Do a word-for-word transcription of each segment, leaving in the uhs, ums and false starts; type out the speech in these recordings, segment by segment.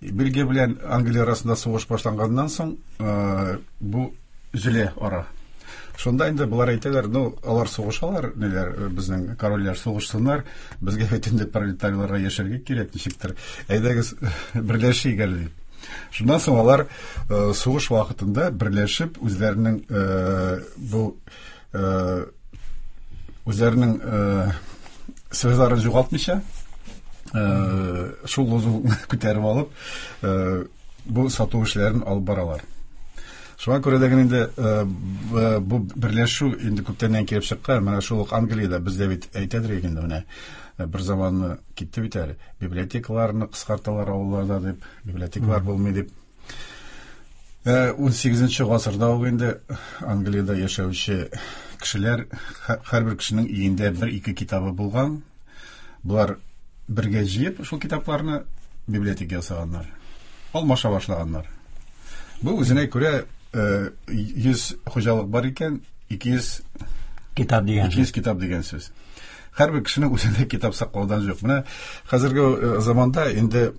Бельгия белән Англия арасында сугыш башланганнан соң бу өзелә ара. Шунда инде болар әйтәләр, ну, алар сугышалар, ниләр, безнең корольләр сугышсыннар, безгә бит инде пролетарийларга яшәргә кирәк ничектер. Әйдәгез берләшик әле дип. Шуннан соң алар сугыш вакытында берләшеп үзләренең бу үзләренең связьларын югалтмыйча, шул лозунгны күтәреп алып, бу сату эшләрен алып баралар. Шуңа күрә дә инде бу берләшү инде күптәннән килеп чыккан. Менә шул ук Англиядә бездә бит әйтәдер инде, менә бер заманны китте бит әле. Библиотекаларны кыскарталар авылларда дип, библиотекалар булмый дип. Унсигезенче гасырда ук инде Англиядә яшәүче кешеләр, һәрбер кешенең өендә бер-ике китабы булган. Булар бергә җыеп шул китапларны библиотека ясаганнар. Алмаша башлаганнар. Бу үзенә күрә йөз хуҗалык бар икән, ике йөз китап дигән. ике йөз китап дигән сүз. Һәрбер кешенең үзендә китап саклаудан юк. Менә хәзерге заманда инде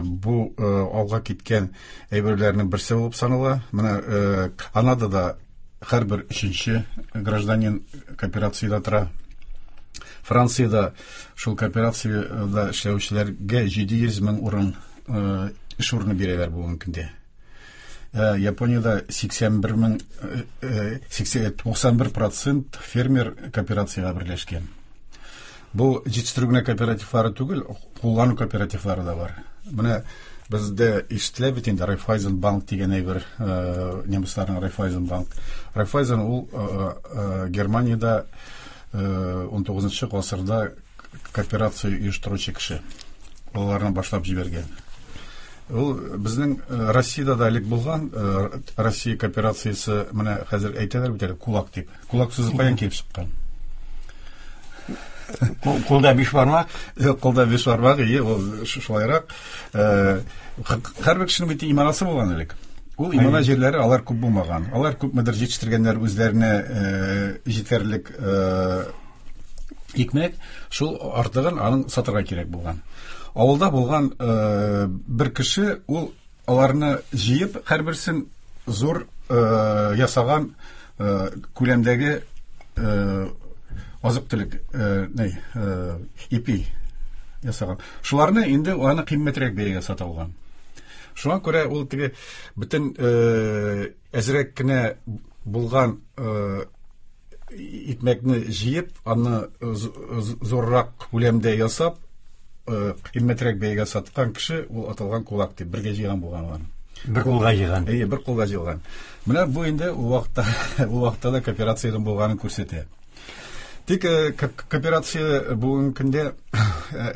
бу алга киткән әйберләрнең берсе булып санала. Менә Канадада һәрбер өченче гражданин кооперациядә тора. Франциядә шул кооперациядә эшләүчеләргә җиде йөз мең урын эш урыны бирәләр бүгенге көндә. Япониядә сиксән бер мең, сиксән бер процент фермер кооперациягә берләшкән. Бу җитештерү генә кооперативлары түгел, куллану кооперативлары да бар. Менә бездә ишетелә бит инде Райффайзен банк дигән әйбер, немецларның Райффайзен банк. Райффайзен ул Германиядә унтугызынчы гасырда кооперация оештыручы кеше. Аларны башлап җибәргән. Ул безнең Россиядә дә элек булган Россия кооперациясе, менә хәзер әйтәләр бит әле кулак дип. Кулак сүзе каян килеп чыккан? Кулда биш бармак. Кулда биш бармак, ие, ул шулайрак. Һәрбер кешенең бит иманасы булган элек. Ул имана җирләре алар күп булмаган. Алар күпмедер җитештергәннәр үзләренә җитәрлек икмәк, шул артыгын аның сатырга кирәк булган. Авылда булган бер кеше ул аларны җыеп, һәрберсен зур ясаган күләмдәге азык-төлек, ни, ипи ясаган. Шуларны инде аны кыйммәтрәк бәягә сата алган. Шуңа күрә ул теге бөтен әзрәк кенә булган икмәкне җыеп, аны зуррак күләмдә ясап, кыйммәтрәк бәягә саткан кеше ул аталган кулак дип бергә җыйган булган аларны. Бер кулга җыйган. Әйе, бер кулга җыйган. Менә бу инде ул вакытта, ул вакытта да кооперациянең булганын күрсәтә. Тик кооперация бүгенге көндә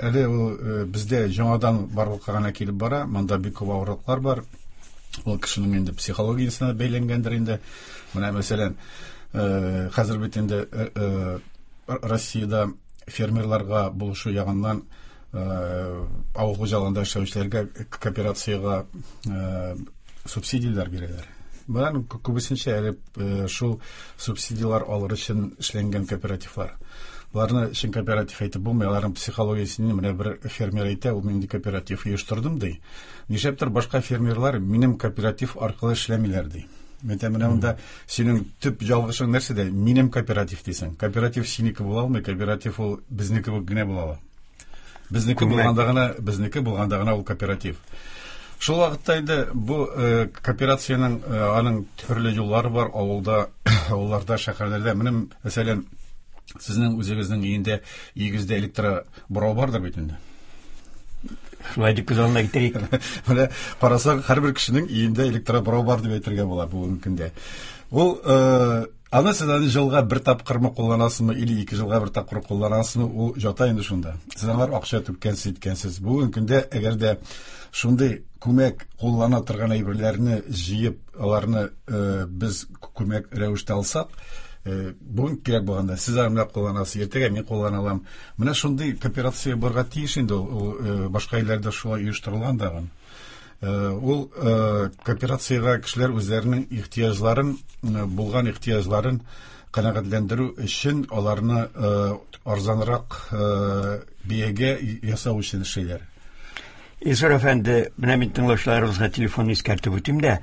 әле ул бездә яңадан барлыкка гына килеп бара. Монда бик күп авырлыклар бар. Ул кешенең инде психологиясенә бәйләнгәндер инде. Менә мәсәлән, хәзер бит инде Россиядә фермерларга булышу ягыннан авыл хуҗалыгында эшләүчеләргә кооперациягә субсидияләр бирәләр. Болар күбесенчә әле шул субсидияләр алыр өчен эшләнгән кооперативлар. Боларны чын кооператив әйтеп булмый, аларның психологиясен менә бер фермер әйтә, ул мин кооператив оештырдым ди. Нишләптер башка фермерлар минем кооператив аркылы эшләмиләр ди. Мәйтәм, менә монда синең төп ялгышың нәрсәдә? Минем кооператив дисең. Кооператив синеке була алмый, кооператив ул безнеке генә була ала. Безнеке булганда гына, безнеке булганда гына ул кооператив. Шул вакытта инде бу кооперациянең аның төрле юллары бар авылда, авылларда, шәһәрләрдә. Менә мәсәлән, сезнең үзегезнең өендә, өегездә электробурау бардыр бит инде. Шулай дип күз алдына китерик. Менә карасак, һәрбер кешенең өендә электробурау бар дип әйтергә була бүгенге көндә. Ул аны сез аны елга бер тапкырмы кулланасызмы или ике елга бер тапкыр кулланасызмы, ул жата инде шунда. Сез аңар акча түккәнсез, иткәнсез. Бүгенге көндә әгәр дә шундый күмәк куллана торган әйберләрне җыеп, аларны без күмәк рәвештә алсак, бүген кирәк булганда сез аны кулланасыз, иртәгә мин куллана алам. Менә шундый кооперация барга тиеш инде ул, башка илләрдә шулай оештырылган дагы. Ул кооперациягә кешеләр үзләренең ихтыяҗларын, булган ихтыяҗларын канәгатьләндерү өчен аларны арзанрак бәягә ясау өчен эшлиләр. Илсур әфәнде, менә мин тыңлаучыларыбызга телефонны искәртеп үтим дә,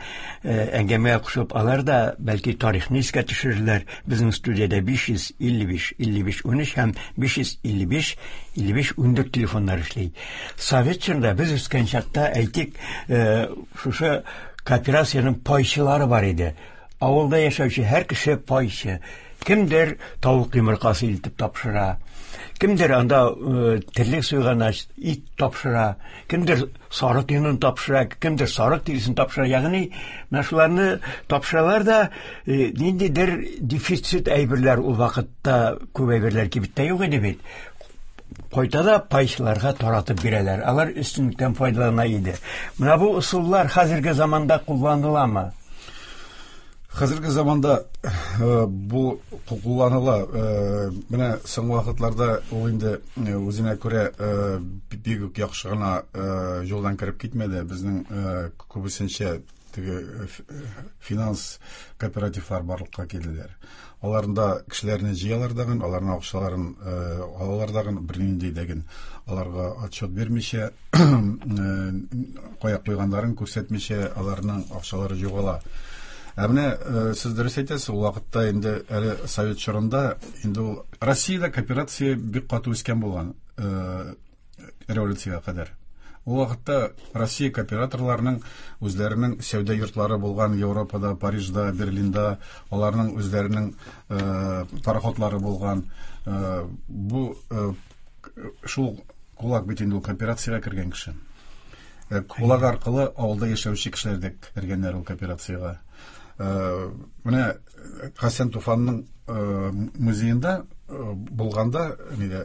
әңгәмәгә кушылып алар да бәлки тарихны искә төшерерләр. Безнең студиядә биш йөз илле биш илле биш унөч һәм биш йөз илле биш илле биш ундүрт телефоннар эшли. Совет чорында без үскән чакта, әйтик, шушы кооперациянең пайчылары бар иде. Авылда яшәүче һәр кеше пайчы. Кемдер тавык йомыркасы илтеп тапшыра, кемдер анда терлек суйган ит тапшыра, кемдер сарык йонын тапшыра, кемдер сарык тиресен тапшыра. Ягъни менә шуларны тапшыралар да, ниндидер дефицит әйберләр ул вакытта күп әйберләр кибеттә юк иде бит. Кайта да пайчыларга таратып бирәләр. Алар өстенлектән файдалана иде. Менә бу ысуллар хәзерге заманда кулланыламы? Хәзерге заманда бу кулланыла. Менә соңгы вакытларда ул инде үзенә күрә бик үк яхшы гына юлдан кереп китмәде. Безнең күбесенчә теге финанс кооперативлар барлыкка килделәр. Аларында кешеләрне җыялар дагын, аларның акчаларын алалар дагын, бернинди дәген аларга отчет бирмичә, кая куйганнарын күрсәтмичә, аларның акчалары югала. Ә менә сез дөрес әйтәсез, ул вакытта инде әле совет чорында инде ул Россиядә кооперация бик каты үскән булган революциягә кадәр. Ул вакытта Россия кооператорларының үзләренең сәүдә йортлары булган Европада, Парижда, Берлинда, аларның үзләренең пароходлары булган. Бу шул кулак бит инде ул кооперациягә кергән кеше. Кулак аркылы авылда яшәүче кешеләр дә кергәннәр ул кооперациягә. Менә Хәсән Туфанның музеенда булганда, нидә,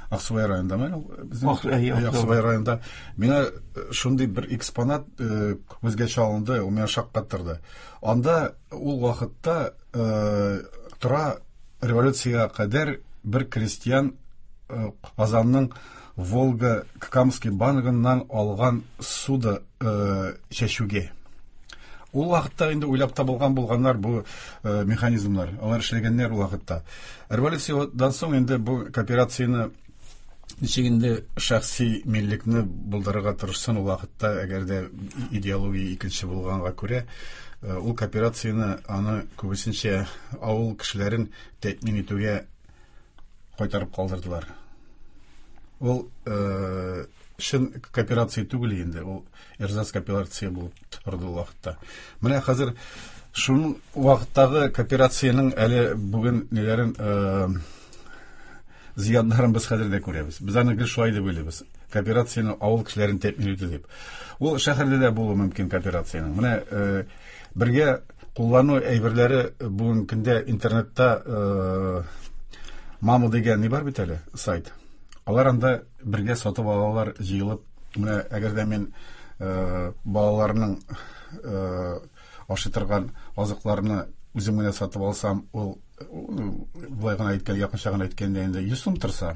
Аксубай районында, безнең Аксубай районында миңа шундый бер экспонат күзгә чалынды, ул миңа шаккаттырды. Анда ул вакытта тора революциягә кадәр бер крестьян Казанның Волга Камский банкыннан алган суда чәчүгә. Ул вакытта инде уйлап табылган булганнар бу механизмнар, алар эшләгәннәр ул вакытта. Революциядән соң инде бу кооперацияне ничек инде шәхси миллекне булдырырга тырышсын ул вакытта, әгәр дә идеология икенче булганга күрә, ул кооперацияне аны күбесенчә авыл кешеләрен тәэмин итүгә кайтарып калдырдылар. Ул чын кооперация түгел инде, ул эрзац кооперация булып торды ул вакытта. Менә хәзер шуның вакыттагы кооперациянең әле бүген ниләрен зыяннарын без хәзер дә күрәбез. Без аны гел шулай дип уйлыйбыз. Кооперацияне авыл кешеләрен тәэмин итү дип. Ул шәһәрдә дә булуы мөмкин кооперациянең. Менә бергә куллану әйберләре бүгенге көндә интернетта Мама дигән ни бар бит әле сайт. Алар анда бергә сатып алалар, җыелып. Менә әгәр дә мин балаларның ашый торган азыкларны үзем генә сатып алсам, ул болай гына әйткән, якынча гына әйткәндә инде йөз сум торса,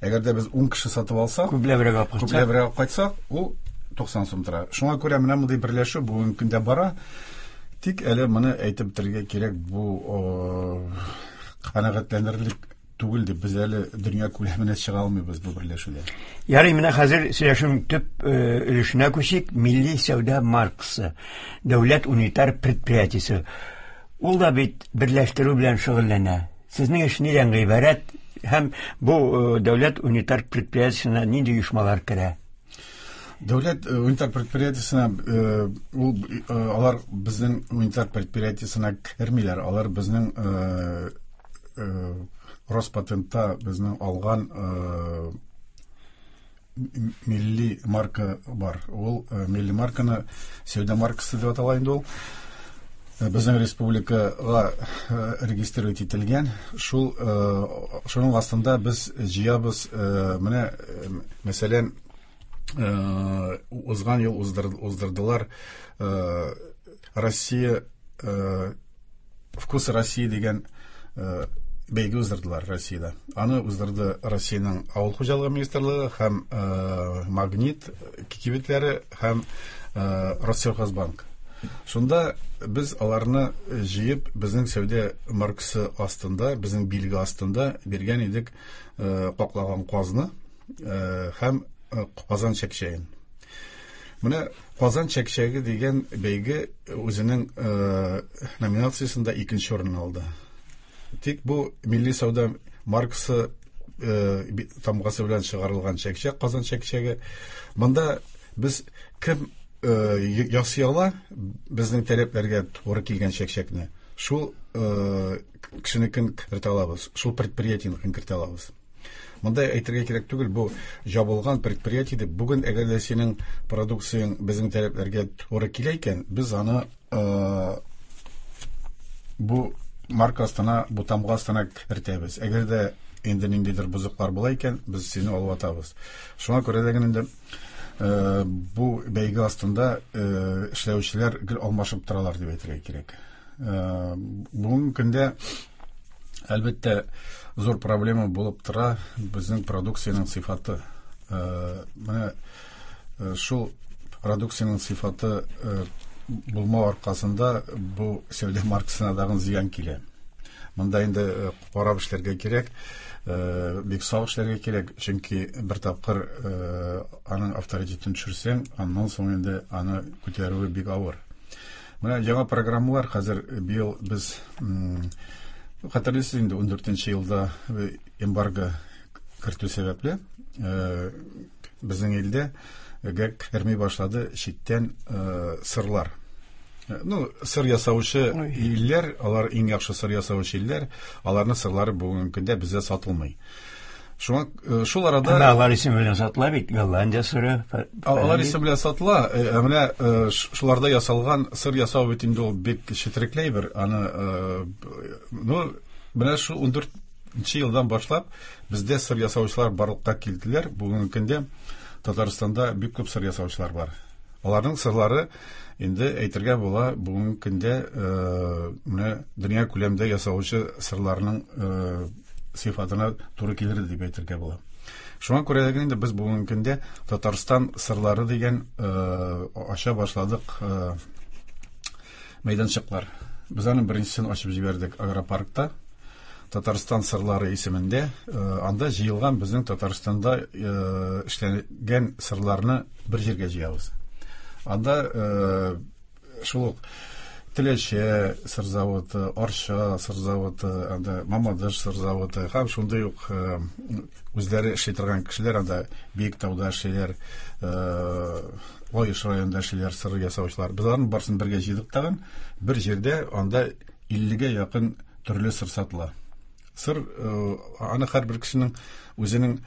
әгәр дә без ун кеше сатып алсак, күпләбрәк алып кайтсак, күпләбрәк алып кайтсак, ул туксан сум тора. Шуңа күрә менә мондый берләшү бүгенге көндә бара. Тик әле моны әйтеп бетерергә кирәк, бу канәгатьләнерлек түгел дип без әле дөнья күләменә чыга алмыйбыз бу берләшүдә. Ярый, менә хәзер сөйләшүнең төп өлешенә күчик. Милли сәүдә маркасы, дәүләт унитар предприятиесе. Ул да бит берләштерү белән шөгыльләнә. Сезнең эш нидән гыйбарәт һәм бу дәүләт унитар предприятиесенә нинди оешмалар керә? Дәүләт унитар предприятиесенә ул алар безнең унитар предприятиесенә кермиләр. Алар безнең Роспатентта безнең алган милли марка бар. Ул милли марканы сәүдә маркасы дип атала инде ул. Безнең республикага регистрировать ителгән. Шул шуның астында без җыябыз. Менә мәсәлән, узган ел уздырдылар Россия Вкус России дигән бәйге уздырдылар Россиядә. Аны уздырды Россиянең авыл хуҗалыгы министрлыгы һәм Магнит кибетләре һәм Россельхозбанк. Шунда без аларны җыеп, безнең сәүдә маркасы астында, безнең билге астында биргән идек каклаган казны һәм Казан чәкчәген. Менә Казан чәкчәге дигән бәйге үзенең номинациясендә икенче урын алды. Тик бу милли сәүдә маркасы тамгасы белән чыгарылган чәкчәк, Казан чәкчәге. Монда без кем ясый ала безнең таләпләргә туры килгән чәкчәкне, шул кешенекен кертә алабыз, шул предприятиенекен кертә алабыз. Монда әйтергә кирәк түгел, бу җабылган предприятие дип. Бүген әгәр дә синең продукцияң безнең таләпләргә туры килә икән, без аны бу марка астына, бу тамга астына кертәбез. Әгәр дә инде ниндидер бозыклар була икән, без сине алып атабыз. Шуңа күрә дә инде бу бәйге астында эшләүчеләр гел алмашып торалар дип әйтергә кирәк. Бүгенге көндә әлбәттә зур проблема булып тора безнең продукциянең сыйфаты. Менә шул продукциянең сыйфаты булмау аркасында бу сәүдә маркасына дагы зыян килә. Монда инде карап эшләргә кирәк, бик сак эшләргә кирәк, чөнки бер тапкыр аның авторитетын төшерсәң, аннан соң инде аны күтәрүе бик авыр. Менә яңа программалар хәзер быел без хәтерлисез инде ун дүртенче елда эмбарго кертү сәбәпле безнең илдә керми башлады читтән сырлар. Ну, сыр ясаучы илләр, алар иң яхшы сыр ясаучы илләр, аларның сырлары бүгенге көндә бездә сатылмый. Шуңа шул арада Әмма алар исеме белән сатыла бит, Голландия сыры. Алар исеме белән сатыла, ә менә шуларда ясалган сыр ясау бит инде ул бик четерекле бер. Аны, ну, менә шул ун дүртенче елдан башлап бездә сыр ясаучылар барлыкка килделәр. Бүгенге көндә Татарстанда бик күп сыр ясаучылар бар. Аларның сырлары инде әйтергә була, бүгенге көндә менә дөнья күләмендә ясаучы сырларның сыйфатына туры килер дип әйтергә була. Шуңа күрә дә инде без бүгенге көндә Татарстан сырлары дигән ача башладык мәйданчыклар. Без аның беренчесен ачып җибәрдек агропаркта. Татарстан сырлары исемендә. Анда җыелган безнең Татарстанда эшләнгән сырларны бер җиргә җыябыз. Анда шул ук Теләче сыр заводы, Арча сыр заводы, анда Мамадыш сыр заводы һәм шундый ук үзләре эшли торган кешеләр анда Биектауда эшлиләр, Лаеш районында эшлиләр сыр ясаучылар. Без аларның барысын бергә җыйдык тагын. Бер җирдә анда иллегә якын төрле сыр сатыла. Сыр аны һәрбер кешенең үзенең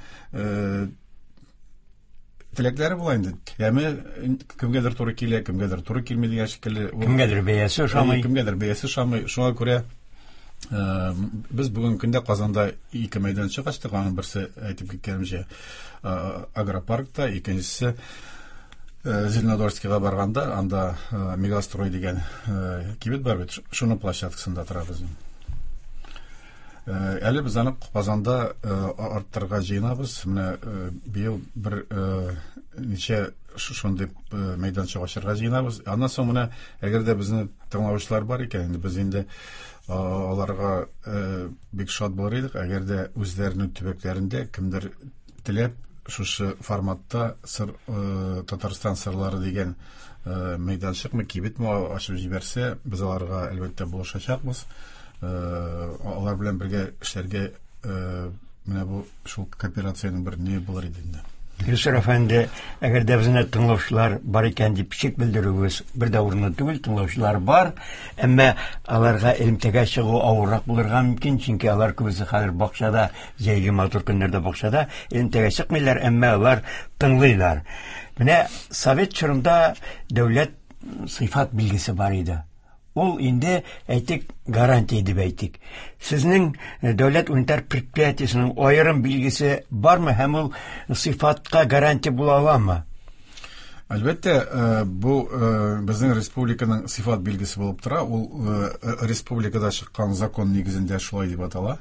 теләкләре була инде. Яме кемгәдер туры килә, кемгәдер туры килми дигән шикелле. Кемгәдер бәясе ошамый. Кемгәдер бәясе ошамый. Шуңа күрә без бүгенге көндә Казанда ике мәйданчык ачтык. Аның берсе, әйтеп киткәнемчә, агропаркта, икенчесе Зеленодольскийга барганда, анда Мегастрой дигән кибет бар бит, шуның площадкасында тора безнең. Әле без аны Казанда арттырырга җыенабыз. Менә быел бер ничә шундый мәйданчык ачарга җыенабыз. Аннан соң менә әгәр дә безне тыңлаучылар бар икән, инде без инде аларга бик шат булыр идек, әгәр дә үзләренең төбәкләрендә кемдер теләп шушы форматта сыр, Татарстан сырлары дигән мәйданчыкмы, кибетме ачып җибәрсә, без аларга әлбәттә булышачакбыз. Алар белән бергә эшләргә менә бу шул кооперациянең бер ни булыр иде инде. Илсур әфәнде, әгәр дә безне тыңлаучылар бар икән дип шик белдерүебез бер дә урынлы түгел, тыңлаучылар бар, әмма аларга элемтәгә чыгу авыррак булырга мөмкин, чөнки алар күбесе хәзер бакчада, җәйге матур көннәрдә бакчада элемтәгә чыкмыйлар, әмма алар тыңлыйлар. Менә совет чорында дәүләт сыйфат билгесе бар иде. Ул инде, әйтик, гарантия дип әйтик. Сезнең дәүләт унитар предприятиесенең аерым билгесе бармы һәм ул сыйфатка гарантия була аламы? Әлбәттә, бу безнең республиканың сыйфат билгесе булып тора. Ул республикада чыккан закон нигезендә шулай дип атала.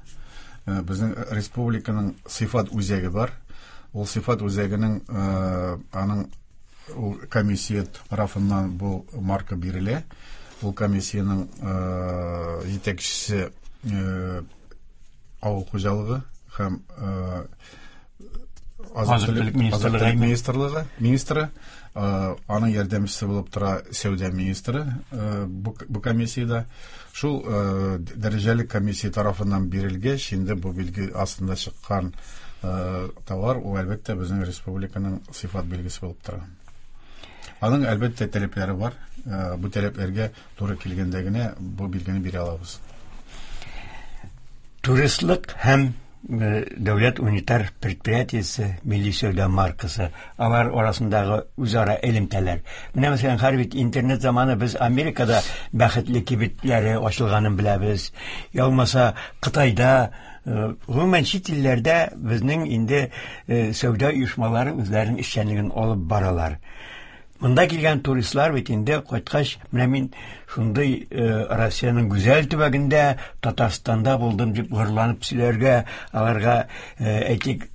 Безнең республиканың сыйфат үзәге бар. Ул сыйфат үзәгенең аның ул комиссия тарафыннан бу марка бирелә. Ул комиссиянең җитәкчесе авыл хуҗалыгы һәм Азык-төлек министрлыгы министры, аның ярдәмчесе булып тора сәүдә министры бу комиссиядә. Шул дәрәҗәле комиссия тарафыннан бирелгәч, инде бу билге астында чыккан товар ул әлбәттә безнең республиканың сыйфат билгесе булып тора. Аның әлбәттә таләпләре бар. Бу таләпләргә туры килгәндә генә бу билгене бирә алабыз. Туристлык һәм дәүләт унитар предприятиесе милли сәүдә маркасы, алар арасындагы үзара элемтәләр. Менә мәсәлән, хәзер бит интернет заманы, без Америкада бәхетле кибетләре ачылганын беләбез. Я булмаса Кытайда, гомумән чит илләрдә безнең инде сәүдә оешмалары үзләренең эшчәнлеген алып баралар. Монда килгән туристлар бит инде кайткач, менә мин шундый Россиянең гүзәл төбәгендә, Татарстанда булдым дип горурланып сөйләргә, аларга әйтик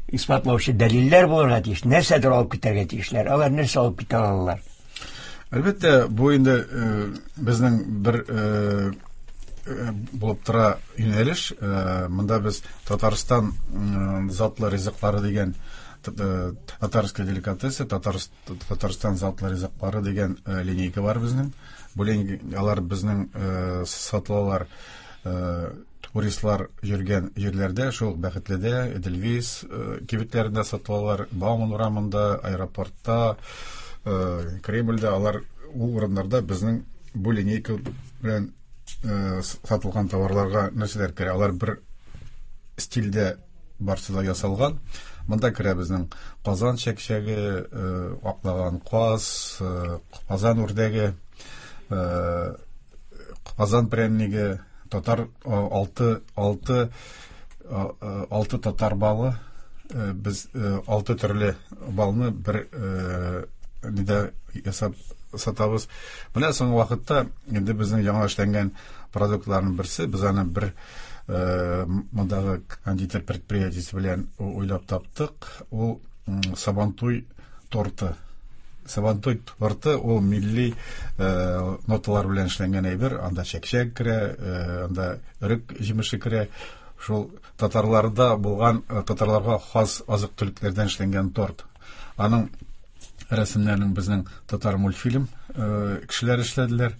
исбатлаучы дәлилләр булырга тиеш, нәрсәдер алып китәргә тиешләр. Алар нәрсә алып китә алалар? Әлбәттә, бу инде безнең бер булып тора юнәлеш. Монда без Татарстан затлы ризыклары дигән, татарская деликатесы, Татарстан затлы ризыклары дигән линейка бар безнең. Бу линейка, алар безнең сатылалар туристлар йөргән җирләрдә, шул Бәхетледә, Эдельвейс кибетләрендә сатылалар, Бауман урамында, аэропортта, Кремльдә, алар ул урыннарда безнең бу линейка белән сатылган товарларга нәрсәләр керә? Алар бер стильдә барсы да ясалган. Монда керә безнең Казан чәкчәге, аклаган каз, Казан үрдәге, Казан прәнниге, татар алты, алты, алты татар балы. Без алты төрле балны бер нидә ясап сатабыз. Менә соңгы вакытта инде безнең яңа эшләнгән продуктларның берсе, без аны бер мондагы кондитер предприятиесе белән уйлап таптык. Ул Сабантуй торты. Сабантуй торты ул милли ноталар белән эшләнгән әйбер. Анда чәкчәк керә, анда өрек җимеше керә. Шул татарларда булган, татарларга хас азык-төлекләрдән эшләнгән торт. Аның рәсемнәрен безнең татар мультфильм кешеләр эшләделәр.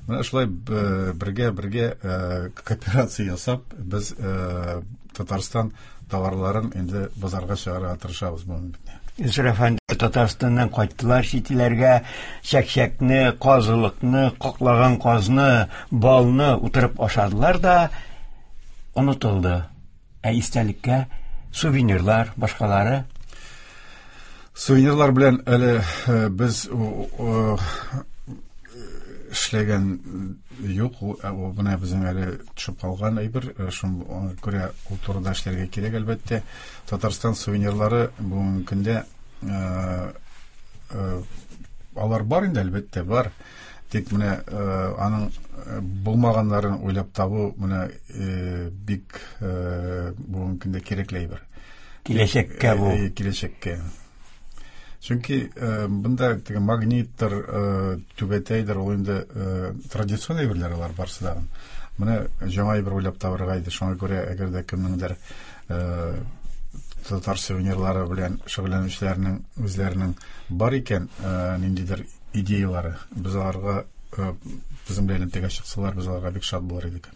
Менә шулай бергә-бергә кооперация ясап, без Татарстан товарларын инде базарга чыгарырга тырышабыз бүгенге көндә. Илсур әфәнде, Татарстаннан кайттылар чит илләргә, чәкчәкне, казылыкны, каклаган казны, балны утырып ашадылар да онытылды. Ә истәлеккә сувенирлар, башкалары. Сувенирлар белән әле без эшләгән юк, ул менә безнең әле төшеп калган әйбер, шуңа күрә ул турыда эшләргә кирәк әлбәттә. Татарстан сувенирлары бүгенге көндә алар бар инде, әлбәттә бар. Тик менә аның булмаганнарын уйлап табу менә бик бүгенге көндә кирәкле әйбер. Киләчәккә бу. Киләчәккә. Чөнки бында теге магниттыр, түбәтәйдер, ул инде традицион әйберләр алар барысы да. Менә яңа әйбер уйлап табырга иде. Шуңа күрә әгәр дә кемнеңдер татар сувенирлары белән шөгыльләнүчеләрнең үзләренең бар икән ниндидер идеялары, без аларга безнең белән элемтәгә чыксалар, без аларга бик шат булыр идек.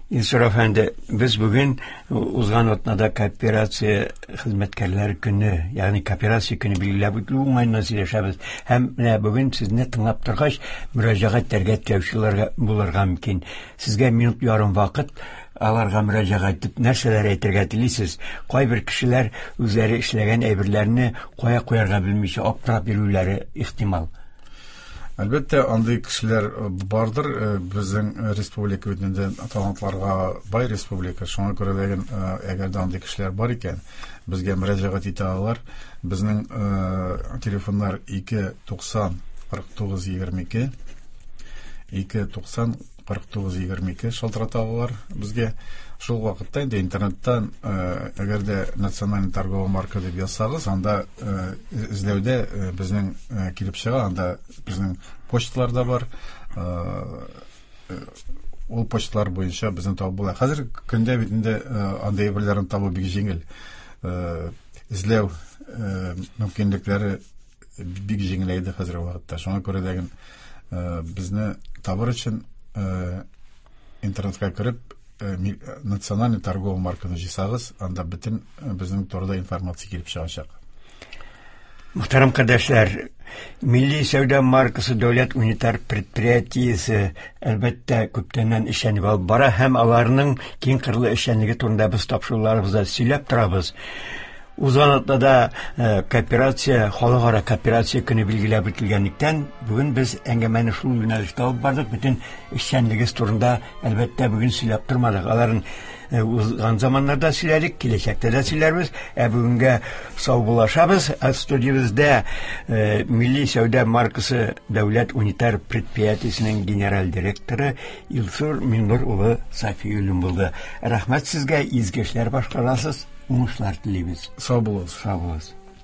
Илсур әфәнде, без бүген узган атнада кооперация хезмәткәрләре көне, ягъни кооперация көне билгеләп үтелү уңаеннан сөйләшәбез. Һәм менә бүген сезне тыңлап торгач, мөрәҗәгать итәргә теләүчеләргә булырга мөмкин. Сезгә минут ярым вакыт, аларга мөрәҗәгать итеп нәрсәләр әйтергә телисез? Кайбер кешеләр үзләре эшләгән әйберләрне кая куярга белмичә аптырап йөрүләре ихтимал. Әлбәттә, андый кешеләр бардыр. Безнең республика бит инде талантларга бай республика. Шуңа күрә дә, әгәр дә андый кешеләр бар икән, безгә мөрәҗәгать итә алалар. Безнең телефоннар ике туксан кырык тугыз егерме ике, ике туксан кырык тугыз егерме ике шалтырата алалар безгә. Шул вакытта инде интернеттан, әгәр дә национальный торговая марка дип язсагыз, анда эзләүдә безнең килеп чыга, анда безнең почталар да бар. Ул почталар буенча безне табып була. Хәзер көндә бит инде андый әйберләрне табу бик җиңел. эзләү мөмкинлекләре бик җиңеләйде хәзерге вакытта. Шуңа күрә дә безне табыр өчен интернетка кереп национальный торговый марканы җыйсагыз, анда бөтен безнең турыда информация килеп чыгачак. Мөхтәрәм кардәшләр, Милли сәүдә маркасы дәүләт унитар предприятиесе әлбәттә күптәннән эшчәнлек алып бара һәм аларның киң кырлы эшчәнлеге турында без тапшыруларыбызда сөйләп торабыз. Узган атнада кооперация, халыкара кооперация көне билгеләп үтелгәнлектән, бүген без әңгәмәне шул юнәлештә алып бардык. Бөтен эшчәнлегебез турында әлбәттә бүген сөйләп тормадык. Аларын узган заманнарда сөйләдек, киләчәктә дә сөйләрбез. Ә бүгенгә саубуллашабыз. Студиябездә Милли сәүдә маркасы дәүләт унитар предприятиесенең генераль директоры Илсур Миннур улы Сафиуллин булды. Рәхмәт сезгә, изге эшләр башкарасыз. Уңышлар телибез. Сау булыгыз. Сау булыгыз.